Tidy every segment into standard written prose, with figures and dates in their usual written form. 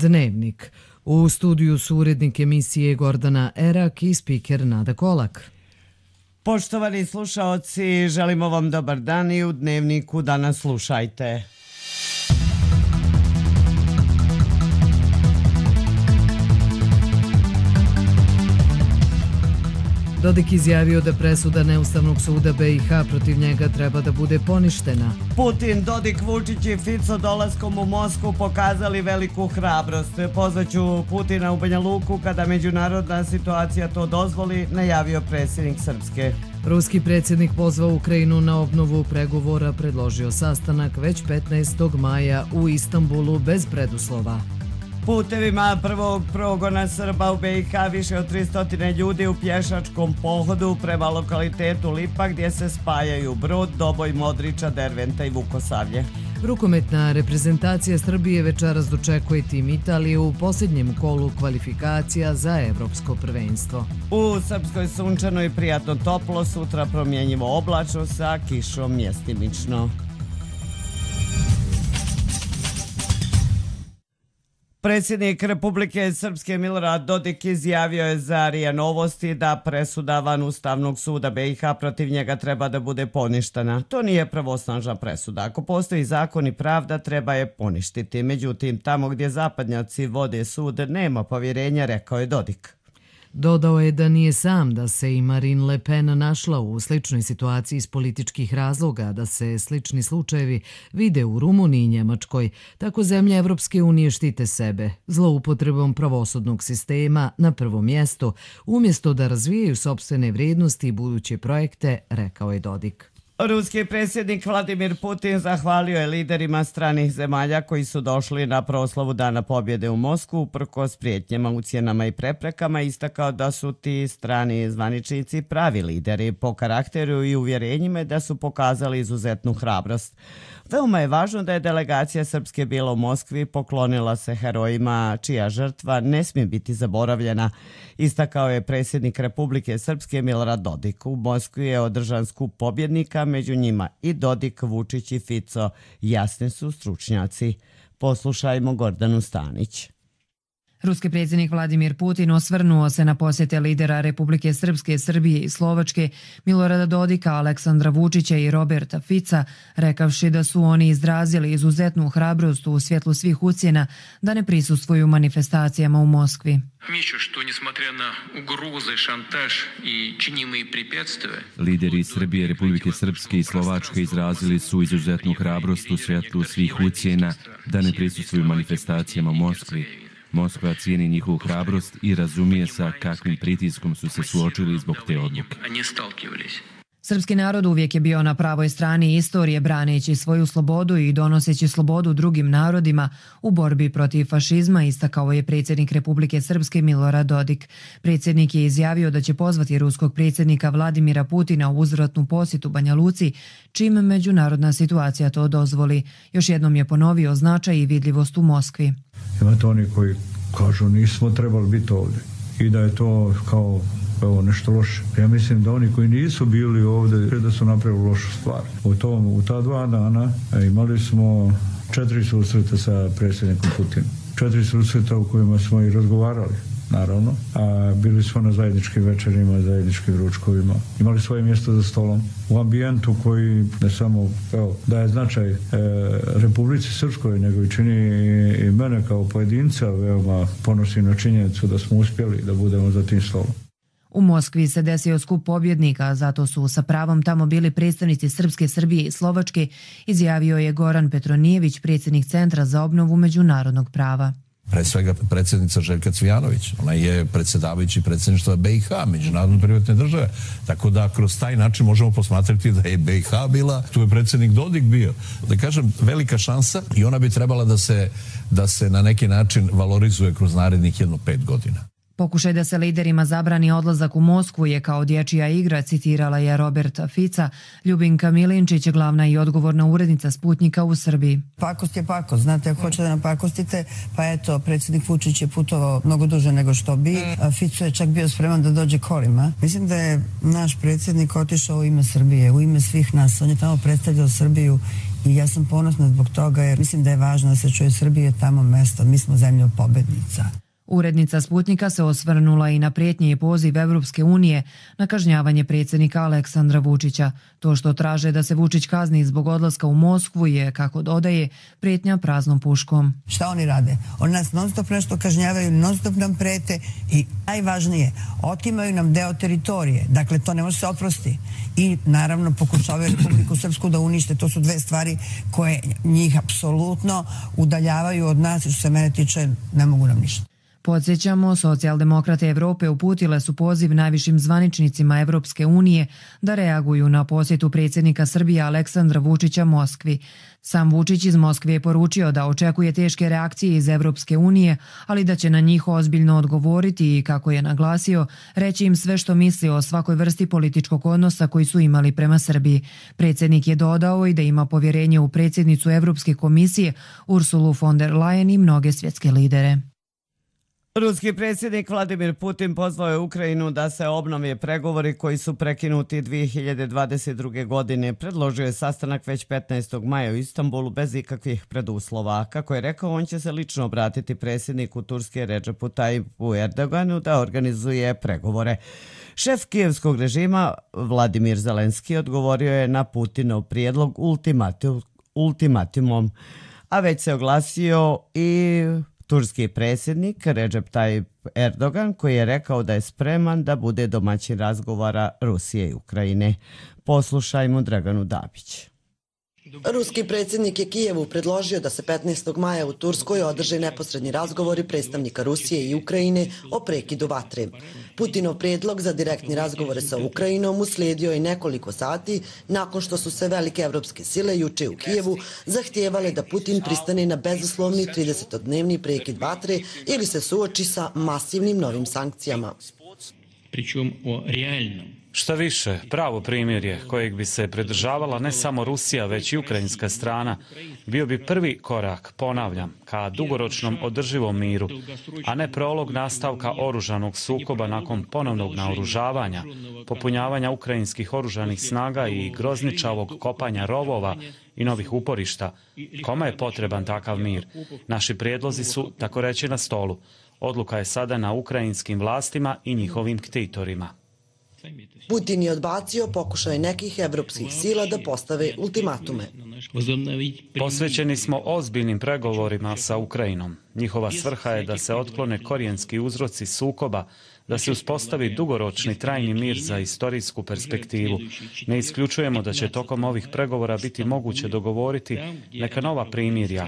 Dnevnik. U studiju su urednik emisije Gordana Erak i spiker Nada Kolak. Poštovani slušaoci, želimo vam dobar dan i u Dnevniku danas slušajte. Dodik izjavio da presuda Neustavnog suda BiH protiv njega treba da bude poništena. Putin, Dodik, Vučić i Fico dolaskom u Moskvu pokazali veliku hrabrost. Pozvaću Putina u Banja Luku kada međunarodna situacija to dozvoli, najavio predsjednik Srpske. Ruski predsjednik pozvao Ukrajinu na obnovu pregovora, predložio sastanak već 15. maja u Istanbulu bez preduslova. Putevima prvog progona Srba u BiH više od 300 ljudi u pješačkom pohodu prema lokalitetu Lipa gdje se spajaju Brod, Doboj, Modriča, Derventa i Vukosavlje. Rukometna reprezentacija Srbije večeras dočekuje tim Italije u posljednjem kolu kvalifikacija za evropsko prvenstvo. U Srpskoj sunčano i prijatno toplo, sutra promjenjivo oblačno sa kišom mjestimično. Predsjednik Republike Srpske Milorad Dodik izjavio je za RIA Novosti da presuda van Ustavnog suda BiH protiv njega treba da bude poništena. To nije pravosnažna presuda. Ako postoji zakon i pravda, treba je poništiti. Međutim, tamo gdje zapadnjaci vode sud, nema povjerenja, rekao je Dodik. Dodao je da nije sam, da se i Marine Le Pen našla u sličnoj situaciji iz političkih razloga, da se slični slučajevi vide u Rumuniji i Njemačkoj. Tako zemlje Evropske unije štite sebe, zloupotrebom pravosudnog sistema na prvom mjestu, umjesto da razvijaju sopstvene vrijednosti i buduće projekte, rekao je Dodik. Ruski predsjednik Vladimir Putin zahvalio je liderima stranih zemalja koji su došli na proslavu Dana pobjede u Moskvu uprkos prijetnjama, ucjenama i preprekama, istakao da su ti strani zvaničnici pravi lideri po karakteru i uvjerenjima da su pokazali izuzetnu hrabrost. Veoma je važno da je delegacija Srpske bila u Moskvi, poklonila se herojima čija žrtva ne smije biti zaboravljena, istakao je predsjednik Republike Srpske Milorad Dodik. U Moskvi je održan skup pobjednika, među njima i Dodik, Vučić i Fico. Jasni su stručnjaci. Poslušajmo Gordanu Stanić. Ruski predsjednik Vladimir Putin osvrnuo se na posjete lidera Republike Srpske, Srbije i Slovačke, Milorada Dodika, Aleksandra Vučića i Roberta Fica, rekavši da su oni izrazili izuzetnu hrabrost u svjetlu svih ucjena da ne prisustvuju manifestacijama u Moskvi. Lideri Srbije, Republike Srpske i Slovačke izrazili su izuzetnu hrabrost u svjetlu svih ucjena da ne prisustvuju manifestacijama u Moskvi. Moskva cijeni njihovu hrabrost i razumije sa kakvim pritiskom su se suočili zbog te odluke. Srpski narod uvijek je bio na pravoj strani istorije, braneći svoju slobodu i donoseći slobodu drugim narodima u borbi protiv fašizma, istakao je predsjednik Republike Srpske Milorad Dodik. Predsjednik je izjavio da će pozvati ruskog predsjednika Vladimira Putina u uzvratnu posjetu Banja Luci, čim međunarodna situacija to dozvoli. Još jednom je ponovio značaj i vidljivost u Moskvi. Imate oni koji kažu nismo trebali biti ovdje i da je to kao nešto loše. Ja mislim da oni koji nisu bili ovdje da su napravili lošu stvar. U ta 2 dana imali smo 4 susreta sa predsjednikom Putinom. 4 susreta u kojima smo i razgovarali, naravno, a bili smo na zajedničkim večerima, zajedničkim ručkovima. Imali svoje mjesto za stolom u ambijentu koji ne samo daje značaj Republici Srpskoj, nego i čini i mene kao pojedinca veoma ponosi na činjenicu da smo uspjeli da budemo za tim stolom. U Moskvi se desio skup pobjednika, zato su sa pravom tamo bili predstavnici Srpske, Srbije i Slovačke, izjavio je Goran Petronijević, predsjednik Centra za obnovu međunarodnog prava. Pre svega predsjednica Željka Cvijanović, ona je predsjedavajući predsjedništva BiH, međunarodne privatne države, tako da kroz taj način možemo posmatrati da je BiH bila, tu je predsjednik Dodik bio. Da kažem, velika šansa i ona bi trebala da se na neki način valorizuje kroz narednih 5 godina. Pokušaj da se liderima zabrani odlazak u Moskvu je kao dječja igra, citirala je Roberta Fica. Ljubinka Milinčić je glavna i odgovorna urednica Sputnjika u Srbiji. Pakost je pakost, znate, ako hoćete da nam pakostite, pa eto, predsjednik Vučić je putovao mnogo duže nego što bi. Fico je čak bio spreman da dođe kolima. Mislim da je naš predsjednik otišao u ime Srbije, u ime svih nas. On je tamo predstavljao Srbiju I ja sam ponosna zbog toga jer mislim da je važno da se čuje Srbije tamo mesto. Mi smo zemlja pobednica. Urednica Sputnika se osvrnula i na prijetnje i poziv Evropske unije na kažnjavanje predsjednika Aleksandra Vučića. To što traže da se Vučić kazni zbog odlaska u Moskvu je, kako dodaje, prijetnja praznom puškom. Šta oni rade? Oni nas non stop nešto kažnjavaju, non stop nam prete i najvažnije, otimaju nam deo teritorije. Dakle, to ne može se oprosti. I naravno pokušavaju Republiku Srpsku da unište. To su dve stvari koje njih apsolutno udaljavaju od nas i što se mene tiče ne mogu nam ništa. Podsjećamo, socijaldemokrate Evrope uputile su poziv najvišim zvaničnicima Evropske unije da reaguju na posjetu predsjednika Srbije Aleksandra Vučića Moskvi. Sam Vučić iz Moskve je poručio da očekuje teške reakcije iz Evropske unije, ali da će na njih ozbiljno odgovoriti i, kako je naglasio, reći im sve što misli o svakoj vrsti političkog odnosa koji su imali prema Srbiji. Predsjednik je dodao i da ima povjerenje u predsjednicu Evropske komisije Ursulu von der Leyen i mnoge svjetske lidere. Ruski predsjednik Vladimir Putin pozvao je Ukrajinu da se obnove pregovori koji su prekinuti 2022. godine. Predložio je sastanak već 15. maja u Istanbulu bez ikakvih preduslova. Kako je rekao, on će se lično obratiti predsjedniku Turske Recepu Tayyipu Erdoganu da organizuje pregovore. Šef kijevskog režima Vladimir Zelenski odgovorio je na Putinov prijedlog ultimatumom, a već se oglasio i turski predsjednik Recep Tayyip Erdogan, koji je rekao da je spreman da bude domaćin razgovora Rusije i Ukrajine. Poslušajmo Draganu Dabić. Ruski predsjednik je Kijevu predložio da se 15. maja u Turskoj održe neposredni razgovori predstavnika Rusije i Ukrajine o prekidu vatre. Putinov prijedlog za direktni razgovore sa Ukrajinom uslijedio je nekoliko sati nakon što su se velike evropske sile juče u Kijevu zahtijevale da Putin pristane na bezuslovni 30-dnevni prekid vatre ili se suoči sa masivnim novim sankcijama. Šta više, pravo primirje kojeg bi se pridržavala ne samo Rusija, već i ukrajinska strana, bio bi prvi korak, ponavljam, ka dugoročnom održivom miru, a ne prolog nastavka oružanog sukoba nakon ponovnog naoružavanja, popunjavanja ukrajinskih oružanih snaga i grozničavog kopanja rovova i novih uporišta. Kome je potreban takav mir? Naši prijedlozi su, tako reći, na stolu. Odluka je sada na ukrajinskim vlastima i njihovim ktitorima. Putin je odbacio pokušaj nekih evropskih sila da postave ultimatume. Posvećeni smo ozbiljnim pregovorima sa Ukrajinom. Njihova svrha je da se otklone korijenski uzroci sukoba, da se uspostavi dugoročni trajni mir za istorijsku perspektivu. Ne isključujemo da će tokom ovih pregovora biti moguće dogovoriti neka nova primirja,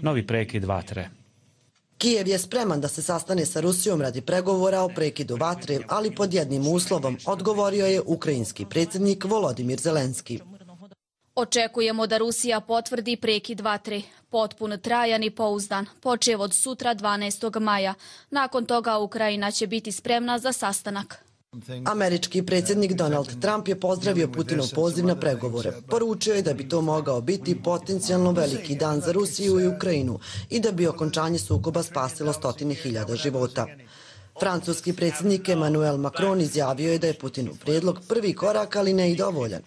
novi prekid vatre. Kijev je spreman da se sastane sa Rusijom radi pregovora o prekidu vatre, ali pod jednim uslovom, odgovorio je ukrajinski predsjednik Volodimir Zelenski. Očekujemo da Rusija potvrdi prekid vatre, potpun, trajan i pouzdan, počev od sutra 12. maja. Nakon toga Ukrajina će biti spremna za sastanak. Američki predsjednik Donald Trump je pozdravio Putinov poziv na pregovore. Poručio je da bi to mogao biti potencijalno veliki dan za Rusiju i Ukrajinu i da bi okončanje sukoba spasilo 100.000 života. Francuski predsjednik Emmanuel Macron izjavio je da je Putinov prijedlog prvi korak, ali ne i dovoljan.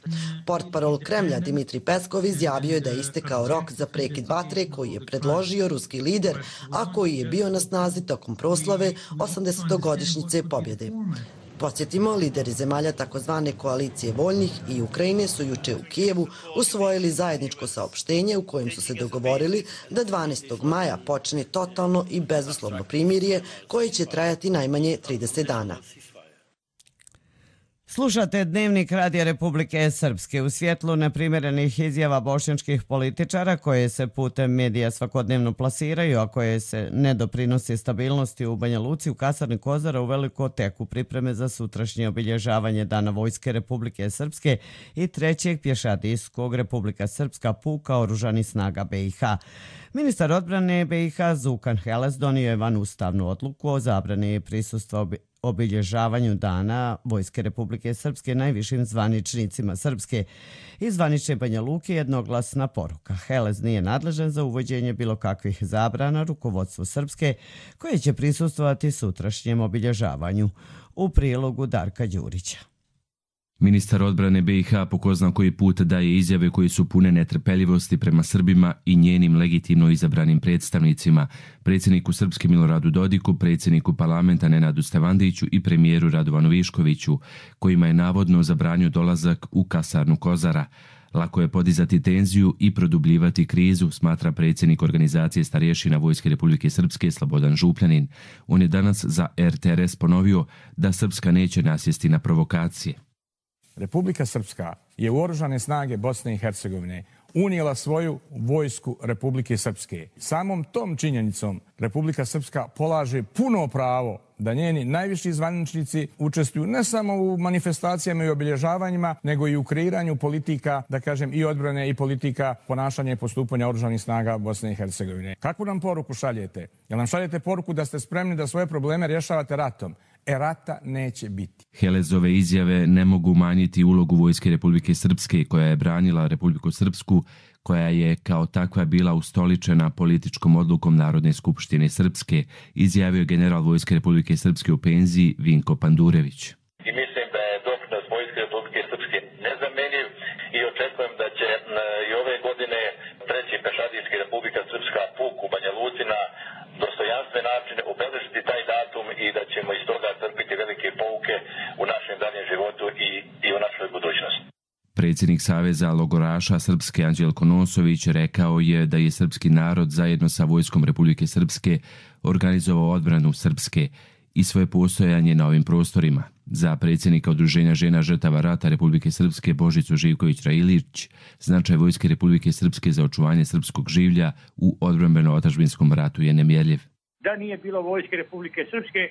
Portparol Kremlja Dmitri Peskov izjavio je da je istekao rok za prekid vatre koji je predložio ruski lider, a koji je bio na snazi tokom proslave 80-godišnjice pobjede. Podsjetimo, lideri zemalja takozvane koalicije voljnih i Ukrajine su juče u Kijevu usvojili zajedničko saopštenje u kojem su se dogovorili da 12. maja počne totalno i bezuslovno primirje koje će trajati najmanje 30 dana. Slušate Dnevnik Radija Republike Srpske. U svjetlu neprimjerenih izjava bošnjačkih političara koje se putem medija svakodnevno plasiraju, a koje se ne doprinose stabilnosti u Banja Luci, u kasarni Kozara u veliko teku pripreme za sutrašnje obilježavanje Dana Vojske Republike Srpske i trećeg pješadijskog Republika Srpska puka oružanih snaga BiH. Ministar odbrane BiH Zukan Heles donio je vanustavnu odluku o zabrani prisustva obilježavanju Dana Vojske Republike Srpske najvišim zvaničnicima Srpske. Iz zvanične Banja Luke jednoglasna poruka. Heles nije nadležan za uvođenje bilo kakvih zabrana rukovodstvu Srpske koje će prisustvovati sutrašnjem obilježavanju. U prilogu Darka Đurića. Ministar odbrane BiH po ko zna koji put daje izjave koje su pune netrpeljivosti prema Srbima i njenim legitimno izabranim predstavnicima, predsjedniku Srpske Miloradu Dodiku, predsjedniku parlamenta Nenadu Stevandiću i premijeru Radovanu Viškoviću, kojima je navodno zabranio dolazak u kasarnu Kozara. Lako je podizati tenziju i produbljivati krizu, smatra predsjednik organizacije starješina Vojske Republike Srpske Slobodan Župljanin. On je danas za RTRS ponovio da Srpska neće nasjesti na provokacije. Republika Srpska je u oružane snage Bosne i Hercegovine unijela svoju vojsku Republike Srpske. Samom tom činjenicom Republika Srpska polaže puno pravo da njeni najviši zvaničnici učestvuju ne samo u manifestacijama i obilježavanjima, nego i u kreiranju politika, da kažem, i odbrane i politika ponašanja i postupanja oružanih snaga Bosne i Hercegovine. Kakvu nam poruku šaljete? Jel nam šaljete poruku da ste spremni da svoje probleme rješavate ratom? Rata neće biti. Helezove izjave ne mogu umanjiti ulogu Vojske Republike Srpske, koja je branila Republiku Srpsku, koja je kao takva bila ustoličena političkom odlukom Narodne skupštine Srpske, izjavio je general Vojske Republike Srpske u penziji Vinko Pandurević. I mislim da je doprinos Vojske Republike Srpske nezamenjiv i očekujem da će i ove godine 3. pešadijski Republika Srpska puk u Banja Luci na dostojanstven način obeležiti taj datum i da ćemo iz toga crpiti velike pouke u našem daljem životu i u našoj budućnosti. Predsjednik Saveza logoraša Srpske Anđelko Nosović rekao je da je srpski narod zajedno sa Vojskom Republike Srpske organizovao odbranu Srpske i svoje postojanje na ovim prostorima. Za predsjednika Udruženja žena žrtava rata Republike Srpske Božicu Živković-Railić, značaj Vojske Republike Srpske za očuvanje srpskog življa u odbrambeno-otadžbinskom ratu je nemjerljiv. Da nije bilo Vojske Republike Srpske,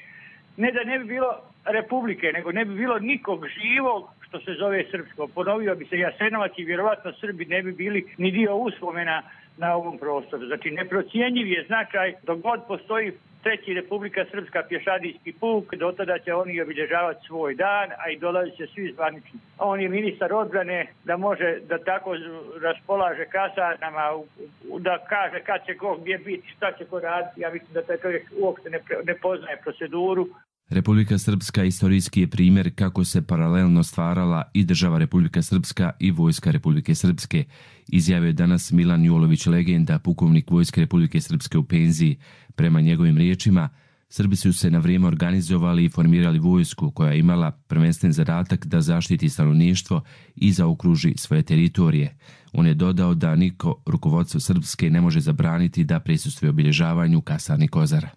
ne da ne bi bilo Republike, nego ne bi bilo nikog živog što se zove srpsko. Ponovio bi se Jasenovac i vjerovatno Srbi ne bi bili ni dio uspomena na ovom prostoru. Znači, neprocijenjiv je značaj dok god postoji 3. Republika Srpska pješadijski puk, do tada će oni obilježavati svoj dan, a i dolazi će svi zvanični. On je ministar odbrane da može da tako raspolaže kasarnama, da kaže kad će ko gdje biti, šta će ko raditi. Ja mislim da taj čovjek uopšte ne poznaje proceduru. Republika Srpska istorijski je primjer kako se paralelno stvarala i država Republika Srpska i Vojska Republike Srpske, izjavio je danas Milan Julović, legenda, pukovnik Vojske Republike Srpske u penziji. Prema njegovim riječima, Srbi su se na vrijeme organizovali i formirali vojsku koja je imala prvenstven zadatak da zaštiti stanovništvo i zaokruži svoje teritorije. On je dodao da niko rukovodstvo Srpske ne može zabraniti da prisustvuje obilježavanju kasarni Kozara.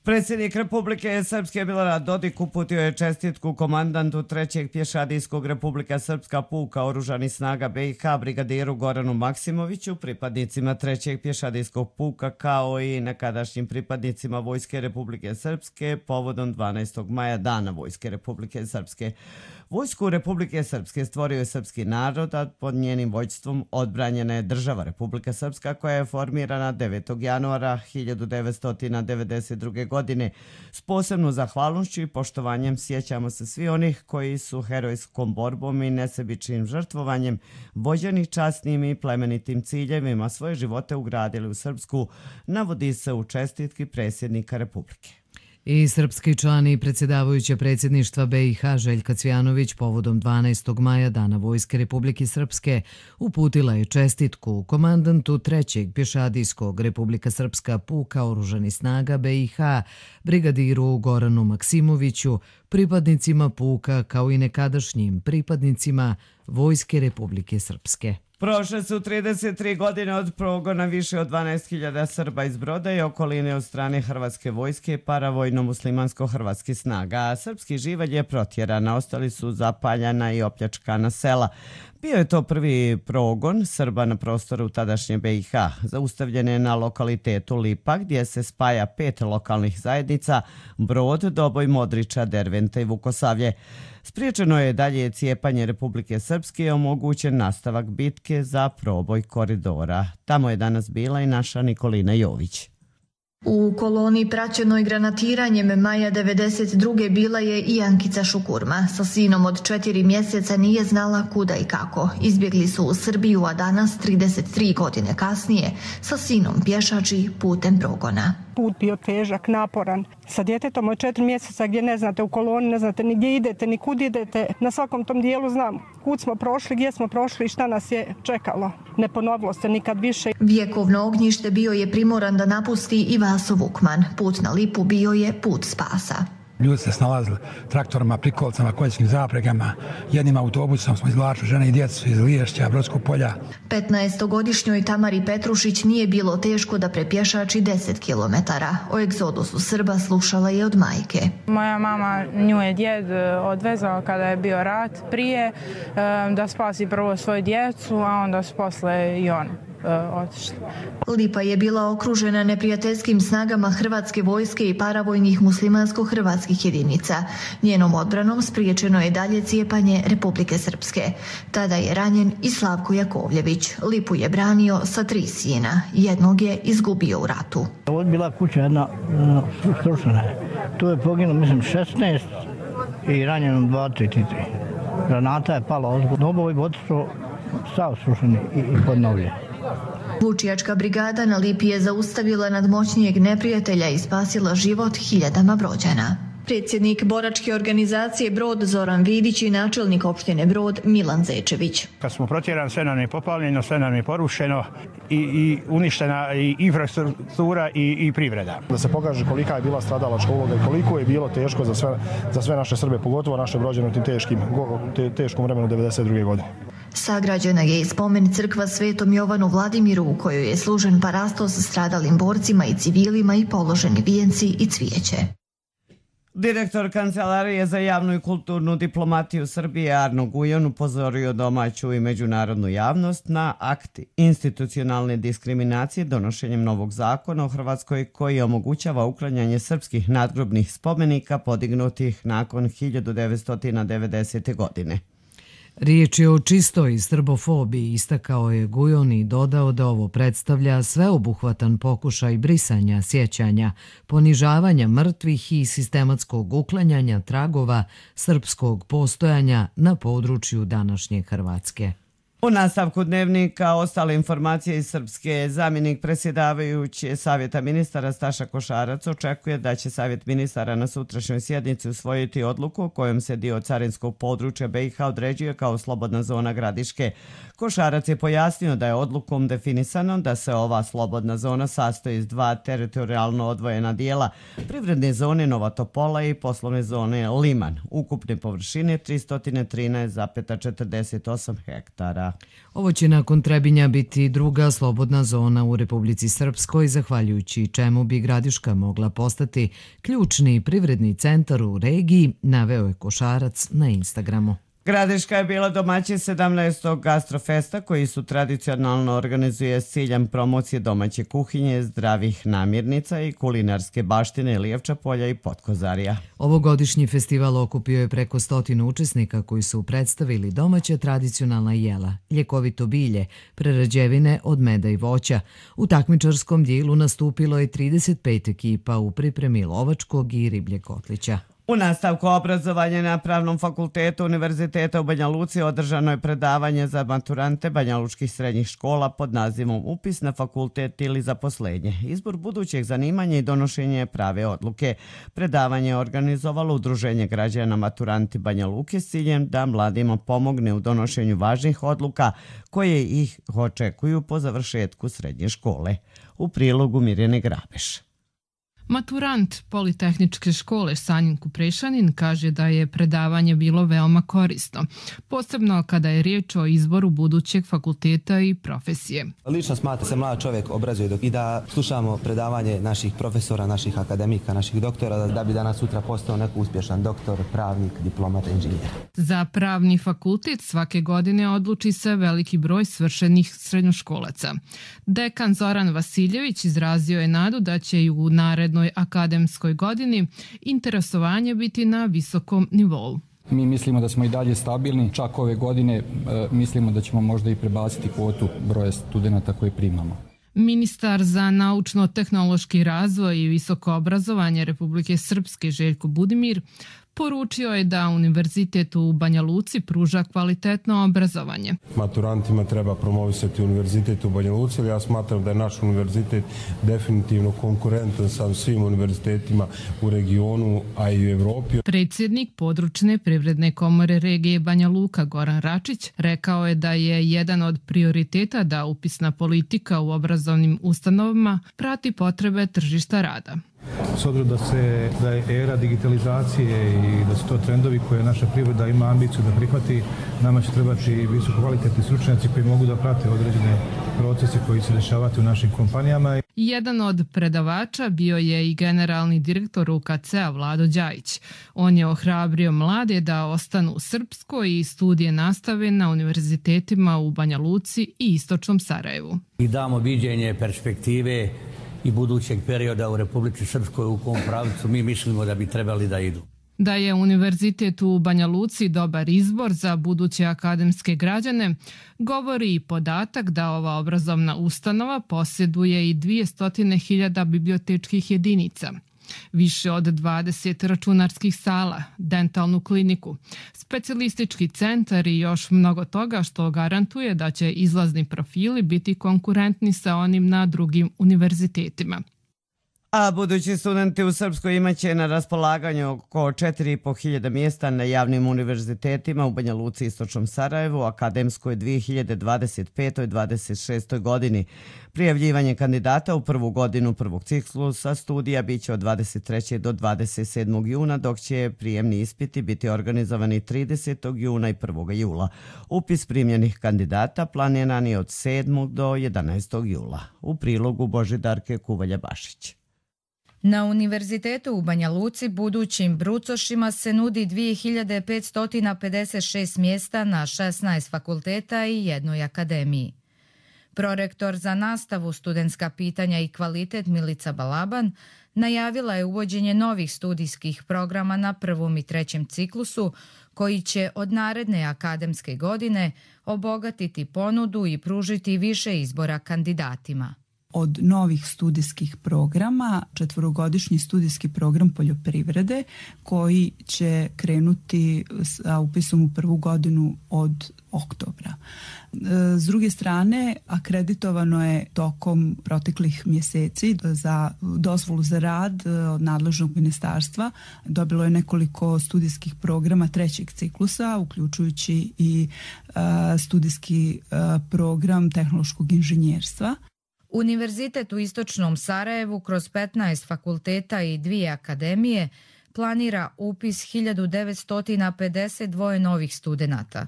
Predsjednik Republike Srpske Milorad Dodik uputio je čestitku komandantu 3. pješadijskog Republika Srpska puka oružanih snaga BiH brigadiru Goranu Maksimoviću, pripadnicima 3. pješadijskog puka kao i nekadašnjim pripadnicima Vojske Republike Srpske povodom 12. maja Dana Vojske Republike Srpske. Vojsku Republike Srpske stvorio je srpski narod, a pod njenim vođstvom odbranjena je država Republika Srpska koja je formirana 9. januara 1992. godine. S posebnom zahvalnošću i poštovanjem sjećamo se svi onih koji su herojskom borbom i nesebičnim žrtvovanjem, vođeni časnim i plemenitim ciljevima svoje živote ugradili u Srpsku, navodi se u čestitki predsjednika Republike. I srpski član i predsjedavajuća predsjedništva BiH Željka Cvijanović povodom 12. maja Dana Vojske Republike Srpske uputila je čestitku komandantu 3. pješadijskog Republika Srpska puka oružanih snaga BiH, brigadiru Goranu Maksimoviću, pripadnicima puka kao i nekadašnjim pripadnicima Vojske Republike Srpske. Prošle su 33 godine od progona više od 12.000 Srba iz Broda i okoline od strane Hrvatske vojske i paravojno-muslimansko-hrvatskih snaga. Srpski živalj je protjeran, ostali su zapaljana i opljačkana sela. Bio je to prvi progon Srba na prostoru tadašnje BiH. Zaustavljen je na lokalitetu Lipa gdje se spaja 5 lokalnih zajednica Brod, Doboj, Modriča, Derventa i Vukosavlje. Spriječeno je dalje cijepanje Republike Srpske i omogućen nastavak bitke za proboj koridora. Tamo je danas bila i naša Nikolina Jović. U koloni praćenoj granatiranjem maja 1992. bila je i Ankica Šukurma. Sa sinom od 4 mjeseca nije znala kuda i kako. Izbjegli su u Srbiju, a danas, 33 godine kasnije, sa sinom pješači putem progona. Put bio težak, naporan. Sa djetetom od 4 mjeseca gdje ne znate u koloni, ne znate ni gdje idete, ni kud idete. Na svakom tom dijelu znam kud smo prošli, gdje smo prošli i šta nas je čekalo. Ne ponovilo se nikad više. Vjekovno ognjište bio je primoran da napusti i Vaso Vukman. Put na Lipu bio je put spasa. Ljudi se snalazili traktorima, prikolcama, konjskim zapregama. Jednim autobusom smo izvlačili žene i djecu iz Liješća, Brodskog polja. 15-godišnjoj Tamari Petrušić nije bilo teško da prepješači 10 kilometara. O egzodusu Srba slušala je od majke. Moja mama, nju je djed odvezao kada je bio rat prije da spasi prvo svoju djecu, a onda su posle i on otišli. Lipa je bila okružena neprijateljskim snagama Hrvatske vojske i paravojnih muslimansko-hrvatskih jedinica. Njenom odbranom spriječeno je dalje cijepanje Republike Srpske. Tada je ranjen i Slavko Jakovljević. Lipu je branio sa 3 sina. Jednog je izgubio u ratu. Ovo je bila kuća jedna srušena. Tu je poginulo, mislim, 16 i ranjeno 23. Granata je pala ozbiljno. Obovi otišao sav srušeni i podnovljen. Vučijačka brigada na Lipi je zaustavila nadmoćnijeg neprijatelja i spasila život hiljadama Brođana. Predsjednik boračke organizacije Brod Zoran Vidić i načelnik opštine Brod Milan Zečević. Kad smo protjerani, sve nam je popaljeno, sve nam je porušeno i uništena i infrastruktura i privreda. Da se pokaže kolika je bila stradalačka uloga i koliko je bilo teško za sve naše Srbe, pogotovo naše Brođane u tim teškom vremenu 1992. godine. Sagrađena je i spomen crkva Svetom Jovanu Vladimiru u kojoj je služen parastos stradalim borcima i civilima i položeni vijenci i cvijeće. Direktor Kancelarije za javnu i kulturnu diplomatiju Srbije Arno Gujon upozorio domaću i međunarodnu javnost na akt institucionalne diskriminacije donošenjem novog zakona u Hrvatskoj koji omogućava uklanjanje srpskih nadgrobnih spomenika podignutih nakon 1990. godine. Riječ je o čistoj srbofobiji, istakao je Gujon i dodao da ovo predstavlja sveobuhvatan pokušaj brisanja sjećanja, ponižavanja mrtvih i sistematskog uklanjanja tragova srpskog postojanja na području današnje Hrvatske. U nastavku dnevnika ostale informacije iz Srpske, zamjenik predsjedavajući Savjeta ministara Staša Košarac očekuje da će Savjet ministara na sutrašnjoj sjednici usvojiti odluku kojom se dio carinskog područja BiH određuje kao slobodna zona Gradiške. Košarac je pojasnio da je odlukom definisano da se ova slobodna zona sastoji iz 2 teritorijalno odvojena dijela, privredne zone Nova Topola i poslovne zone Liman, ukupne površine 313,48 hektara. Ovo će nakon Trebinja biti druga slobodna zona u Republici Srpskoj, zahvaljujući čemu bi Gradiška mogla postati ključni privredni centar u regiji, naveo je Košarac na Instagramu. Gradiška je bila domaćin 17. gastrofesta koji su tradicionalno organizuje s ciljem promocije domaće kuhinje, zdravih namirnica i kulinarske baštine Lijevča polja i Potkozarija. Ovogodišnji festival okupio je preko 100 učesnika koji su predstavili domaća tradicionalna jela, ljekovito bilje, prerađevine od meda i voća. U takmičarskom dijelu nastupilo je 35 ekipa u pripremi lovačkog i ribljeg kotlića. U nastavku obrazovanja na Pravnom fakultetu Univerziteta u Banja Luci održano je predavanje za maturante banjalučkih srednjih škola pod nazivom Upis na fakultet ili zaposlenje, izbor budućeg zanimanja i donošenje prave odluke. Predavanje je organizovalo Udruženje građana maturanti Banja Luke s ciljem da mladima pomogne u donošenju važnih odluka koje ih očekuju po završetku srednje škole. U prilogu Mirjane Grabeš. Maturant Politehničke škole Sanjin Kuprešanin kaže da je predavanje bilo veoma korisno, posebno kada je riječ o izboru budućeg fakulteta i profesije. Lično smatram se mlad čovjek obrazuje i da slušamo predavanje naših profesora, naših akademika, naših doktora da bi danas sutra postao neko uspješan doktor, pravnik, diplomata, inženjer. Za pravni fakultet svake godine odluči se veliki broj svršenih srednjoškolaca. Dekan Zoran Vasiljević izrazio je nadu da će i u narednoj akademskoj godini interesovanje biti na visokom nivou. Mi mislimo da smo i dalje stabilni, čak ove godine mislimo da ćemo možda i prebaciti kvotu broja studenata koje primamo. Ministar za naučno-tehnološki razvoj i visoko obrazovanje Republike Srpske Željko Budimir poručio je da Univerzitet u Banja Luci pruža kvalitetno obrazovanje. Maturantima treba promovisati Univerzitet u Banja Luci, ali ja smatram da je naš univerzitet definitivno konkurentan sa svim univerzitetima u regionu, a i u Evropi. Predsjednik područne privredne komore regije Banja Luka Goran Račić rekao je da je jedan od prioriteta da upisna politika u obrazovnim ustanovama prati potrebe tržišta rada. S obzirom da je era digitalizacije i da su to trendovi koje naša privreda ima ambiciju da prihvati, nama će trebati visoko kvalitetni stručnjaci koji mogu da prate određene procese koji se dešavaju u našim kompanijama. Jedan od predavača bio je i generalni direktor UKC-a Vlado Đajić. On je ohrabrio mlade da ostanu u Srpskoj i studije nastave na univerzitetima u Banja Luci i istočnom Sarajevu. I damo viđenje perspektive i budućeg perioda u Republici Srpskoj u kom pravcu mi mislimo da bi trebali da idu. Da je Univerzitet u Banja Luci dobar izbor za buduće akademske građane, govori i podatak da ova obrazovna ustanova posjeduje i 200.000 bibliotečkih jedinica, više od 20 računarskih sala, dentalnu kliniku, specijalistički centar i još mnogo toga što garantuje da će izlazni profili biti konkurentni sa onim na drugim univerzitetima. A budući studenti u Srpskoj imaće na raspolaganju oko 4.500 mjesta na javnim univerzitetima u Banja Luci i istočnom Sarajevu, akademskoj 2025-26. godini. Prijavljivanje kandidata u prvu godinu prvog ciklusa studija biće od 23. do 27. juna, dok će prijemni ispiti biti organizovani 30. juna i 1. jula. Upis primljenih kandidata planiran je od 7. do 11. jula. U prilogu Božidarke Kuvalja-Bašić. Na Univerzitetu u Banja Luci budućim brucošima se nudi 2556 mjesta na 16 fakulteta i jednoj akademiji. Prorektor za nastavu, studentska pitanja i kvalitet Milica Balaban najavila je uvođenje novih studijskih programa na prvom i trećem ciklusu koji će od naredne akademske godine obogatiti ponudu i pružiti više izbora kandidatima. Od novih studijskih programa, 4-godišnji studijski program poljoprivrede koji će krenuti sa upisom u prvu godinu od oktobra. S druge strane, akreditovano je tokom proteklih mjeseci za dozvolu za rad od nadležnog ministarstva. Dobilo je nekoliko studijskih programa trećeg ciklusa, uključujući i studijski program tehnološkog inženjerstva. Univerzitet u istočnom Sarajevu kroz 15 fakulteta i 2 akademije planira upis 1952 novih studenata.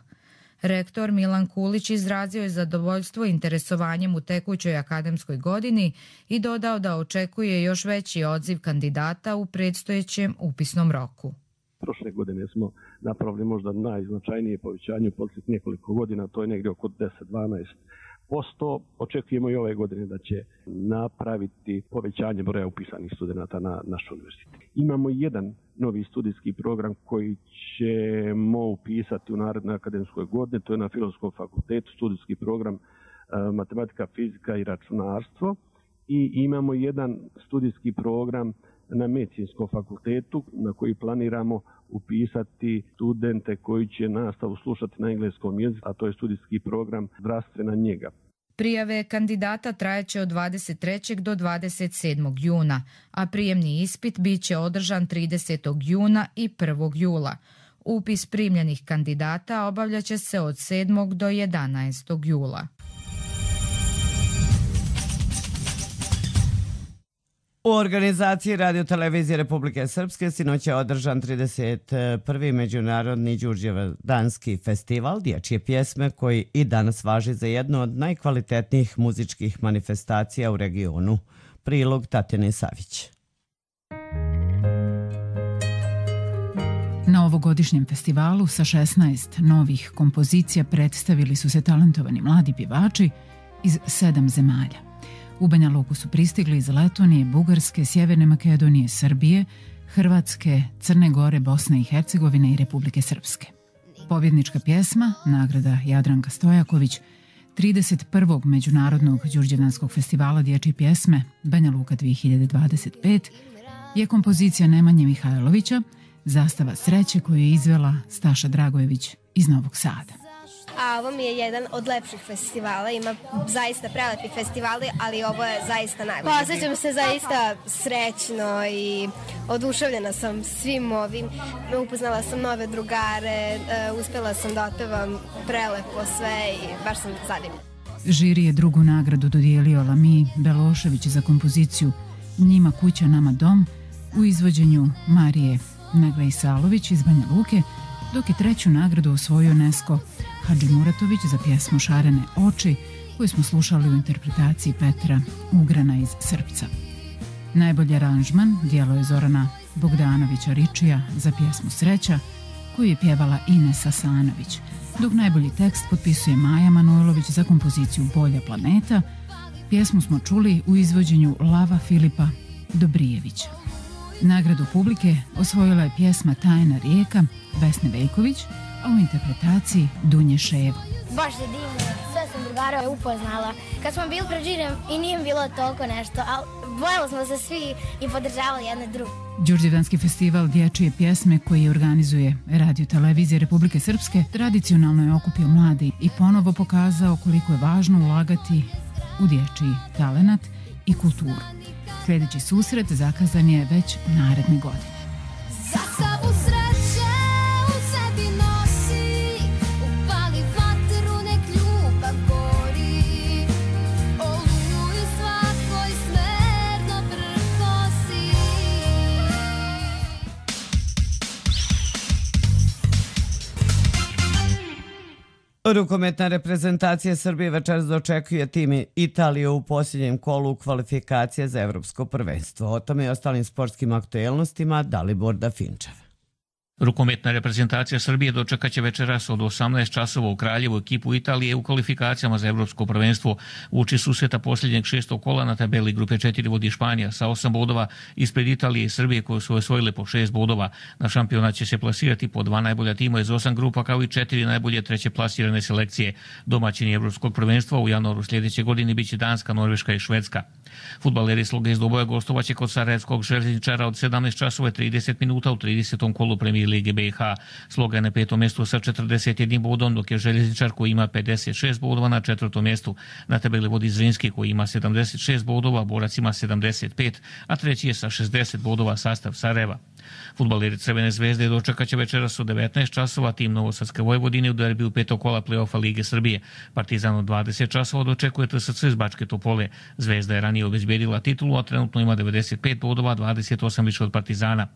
Rektor Milan Kulić izrazio je zadovoljstvo interesovanjem u tekućoj akademskoj godini i dodao da očekuje još veći odziv kandidata u predstojećem upisnom roku. Prošle godine smo napravili možda najznačajnije povećanje u posljednjih nekoliko godina, to je negdje oko 10-12%. Očekujemo i ove godine da će napraviti povećanje broja upisanih studenata na naš univerzitet. Imamo jedan novi studijski program koji ćemo upisati u narednoj akademskoj godini, to je na Filozofskom fakultetu, studijski program matematika, fizika i računarstvo. I imamo jedan studijski program na Medicinskom fakultetu na koji planiramo upisati studente koji će nastavu slušati na engleskom jeziku, a to je studijski program zdravstvena njega. Prijave kandidata trajeće od 23. do 27. juna, a prijemni ispit biće održan 30. juna i 1. jula. Upis primljenih kandidata obavljaće se od 7. do 11. jula. U organizaciji Radio-televizije Republike Srpske sinoć je održan 31. Međunarodni Đurđevdanski festival dječje pjesme koji i danas važi za jednu od najkvalitetnijih muzičkih manifestacija u regionu. Prilog Tatjane Savić. Na ovogodišnjem festivalu sa 16 novih kompozicija predstavili su se talentovani mladi pjevači iz 7 zemalja. U Banja Luku su pristigli iz Letonije, Bugarske, Sjeverne Makedonije, Srbije, Hrvatske, Crne Gore, Bosne i Hercegovine i Republike Srpske. Pobjednička pjesma, nagrada Jadranka Stojaković, 31. Međunarodnog Đurđevdanskog festivala dječje pjesme Banja Luka 2025 je kompozicija Nemanje Mihajlovića Zastava sreće koju je izvela Staša Dragojević iz Novog Sada. A ovo mi je jedan od lepših festivala, ima zaista prelepi festivali, ali ovo je zaista najbolji. Osjećam se zaista srećno i oduševljena sam svim ovim. Upoznala sam nove drugare, uspjela sam da otpevam prelepo sve i baš sam zadivljena. Žiri je drugu nagradu dodijelio Lami Belošević za kompoziciju Njima kuća, nama dom u izvođenju Marije Negle-Isalović iz Banja Luke, dok je treću nagradu osvojio Nesko Hadžimuratović za pjesmu Šarene oči, koju smo slušali u interpretaciji Petra Ugrana iz Srpca. Najbolji aranžman djelo je Zorana Bogdanovića Ričija za pjesmu Sreća, koju je pjevala Ines Asanović, dok najbolji tekst potpisuje Maja Manojlović za kompoziciju Bolja planeta. Pjesmu smo čuli u izvođenju Lava Filipa Dobrijevića. Nagradu publike osvojila je pjesma Tajna rijeka Vesne Veljković, a u interpretaciji Dunje Ševo. Baš je divno, sve sam drugara upoznala. Kad smo bili pred žirijem i nije bilo toliko nešto, ali bojali smo se svi i podržavali jedne druge. Đurđevdanski festival dječje pjesme koji organizuje Radio Televizija Republike Srpske tradicionalno je okupio mlade i ponovo pokazao koliko je važno ulagati u dječji talenat i kulturu. Sljedeći susret zakazan je već naredne godine. Rukometna reprezentacija Srbije večeras dočekuje tim Italije u posljednjem kolu kvalifikacije za evropsko prvenstvo. O tome i ostalim sportskim aktuelnostima Dalibor Dafinčev. Rukometna reprezentacija Srbije dočekaće večeras od 18 časova u Kraljevu ekipu Italije u kvalifikacijama za evropsko prvenstvo. Uoči susreta posljednjeg 6. kola na tabeli grupe 4 vodi Španija sa 8 bodova, ispred Italije i Srbije koje su osvojile po 6 bodova. Na šampionat će se plasirati po 2 najbolja tima iz 8 grupa kao i 4 najbolje treće plasirane selekcije. Domaćini evropskog prvenstva u januaru sljedeće godine biće Danska, Norveška i Švedska. Fudbaleri Sloga iz Doboja gostovaće kod Sarajevskog Željezničara od 17 časova i 30 minuta u 30. kolu Premijer Lige BiH. Sloga je na 5. mjestu sa 41 bodom, dok je Željezničar koji ima 56 bodova na 4. mjestu. Na tabeli vodi Zrinski koji ima 76 bodova, Borac ima 75, a treći je sa 60 bodova sastav Sarajeva. Fudbaleri Crvene zvezde dočekaće večeras od 19 časova tim Novosadske Vojvodine u derbiju 5. kola play-offa Lige Srbije. Partizan od 20 časova dočekuje TSC iz Bačke Topole. Zvezda je ranije obezbedila titulu, a trenutno ima 95 bodova, 28 više od Partizana.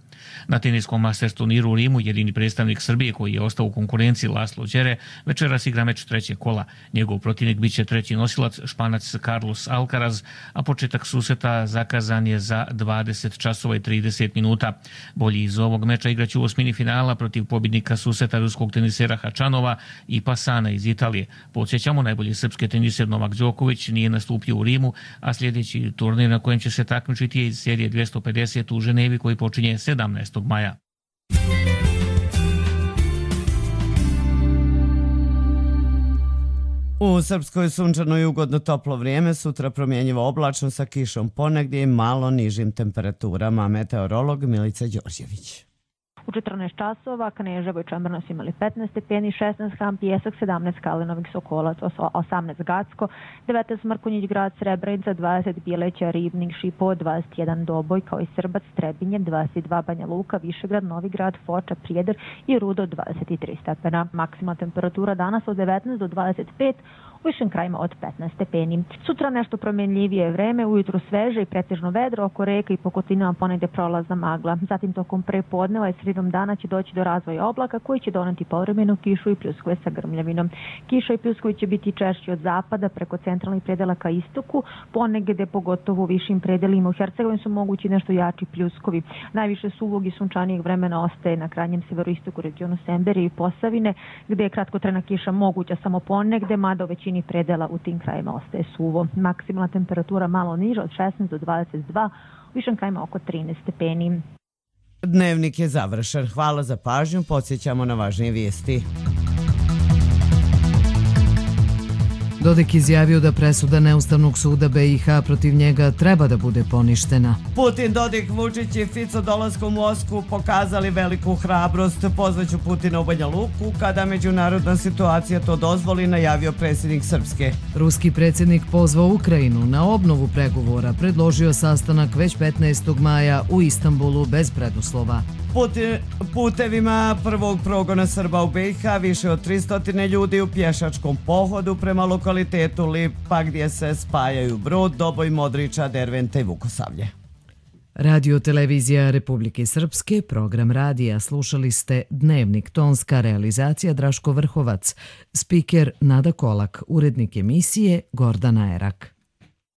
Na teniskom Masters turniru u Rimu jedini predstavnik Srbije koji je ostao u konkurenciji Laslo Đere večeras igra meč trećeg kola. Njegov protivnik biće treći nosilac Španac Carlos Alcaraz, a početak susreta zakazan je za 20 časova i 30 minuta. Bolji iz ovog meča igraće u osmini finala protiv pobjednika susreta ruskog tenisera Hačanova i Pasana iz Italije. Podsjećamo, najbolji srpski teniser Novak Đoković nije nastupio u Rimu, a sljedeći turnir na kojem će se takmičiti je iz serije 250 u Ženevi koji počinje 17. maja. U Srpskoj sunčano i ugodno toplo vrijeme, sutra promjenjivo oblačno sa kišom ponegdje i malo nižim temperaturama. Meteorolog Milica Đorđević. U 14 časova Kneževo i Čemerno su imali 15 stepeni, 16 Ham Pijesak, 17 Kalinovih Sokolac, 18 Gacko, 19 Mrkonjić Grad, Srebrenica, 20 Bileća, Ribnik, Šipovo, 21 Doboj, kao i Srbac, Trebinje, 22 Banja Luka, Višegrad, Novigrad, Foča, Prijedor i Rudo, 23 stepena. Maksimalna temperatura danas od 19 do 25, u višim krajima od 15 stepeni. Sutra nešto promjenljivije vreme, ujutru sveže i pretežno vedro, oko reka i po kotlinama ponegde prolazna magla. Zatim tokom prepodneva i sredinom dana će doći do razvoja oblaka koji će doneti povremenu kišu i pljuskove sa grmljavinom. Kiša i pljuskovi će biti češći od zapada preko centralnih predela ka istoku, ponegde pogotovo u višim predelima u Hercegovini su mogući nešto jači pljuskovi. Najviše suvog i sunčanijeg vremena ostaje na krajnjem severoistoku regionu Semberije i Posavine, gde je kratkotrajna kiša moguća samo ponegde, mada u većini predela u tim krajima ostaje suvo. Maksimalna temperatura malo niža od 16 do 22, u višim krajima oko 13 stepeni. Dnevnik je završen. Hvala za pažnju. Podsjećamo na važnije vijesti. Dodik izjavio da presuda Neustavnog suda BiH protiv njega treba da bude poništena. Putin, Dodik, Vučić i Fico dolaskom u Moskvu pokazali veliku hrabrost. Pozvaću Putina u Banja Luku kada međunarodna situacija to dozvoli, najavio predsjednik Srpske. Ruski predsjednik pozvao Ukrajinu na obnovu pregovora, predložio sastanak već 15. maja u Istanbulu bez preduslova. Putevima prvog progona Srba u BiH više od 300 ljudi u pješačkom pohodu prema lokalitetu Lipa gdje se spajaju Brod, Doboj, Modriča, Derventa i Vukosavlje. Radio televizija Republike Srpske, program radija, slušali ste Dnevnik, tonska realizacija Draško Vrhovac, spiker Nada Kolak, urednik emisije Gordana Erak.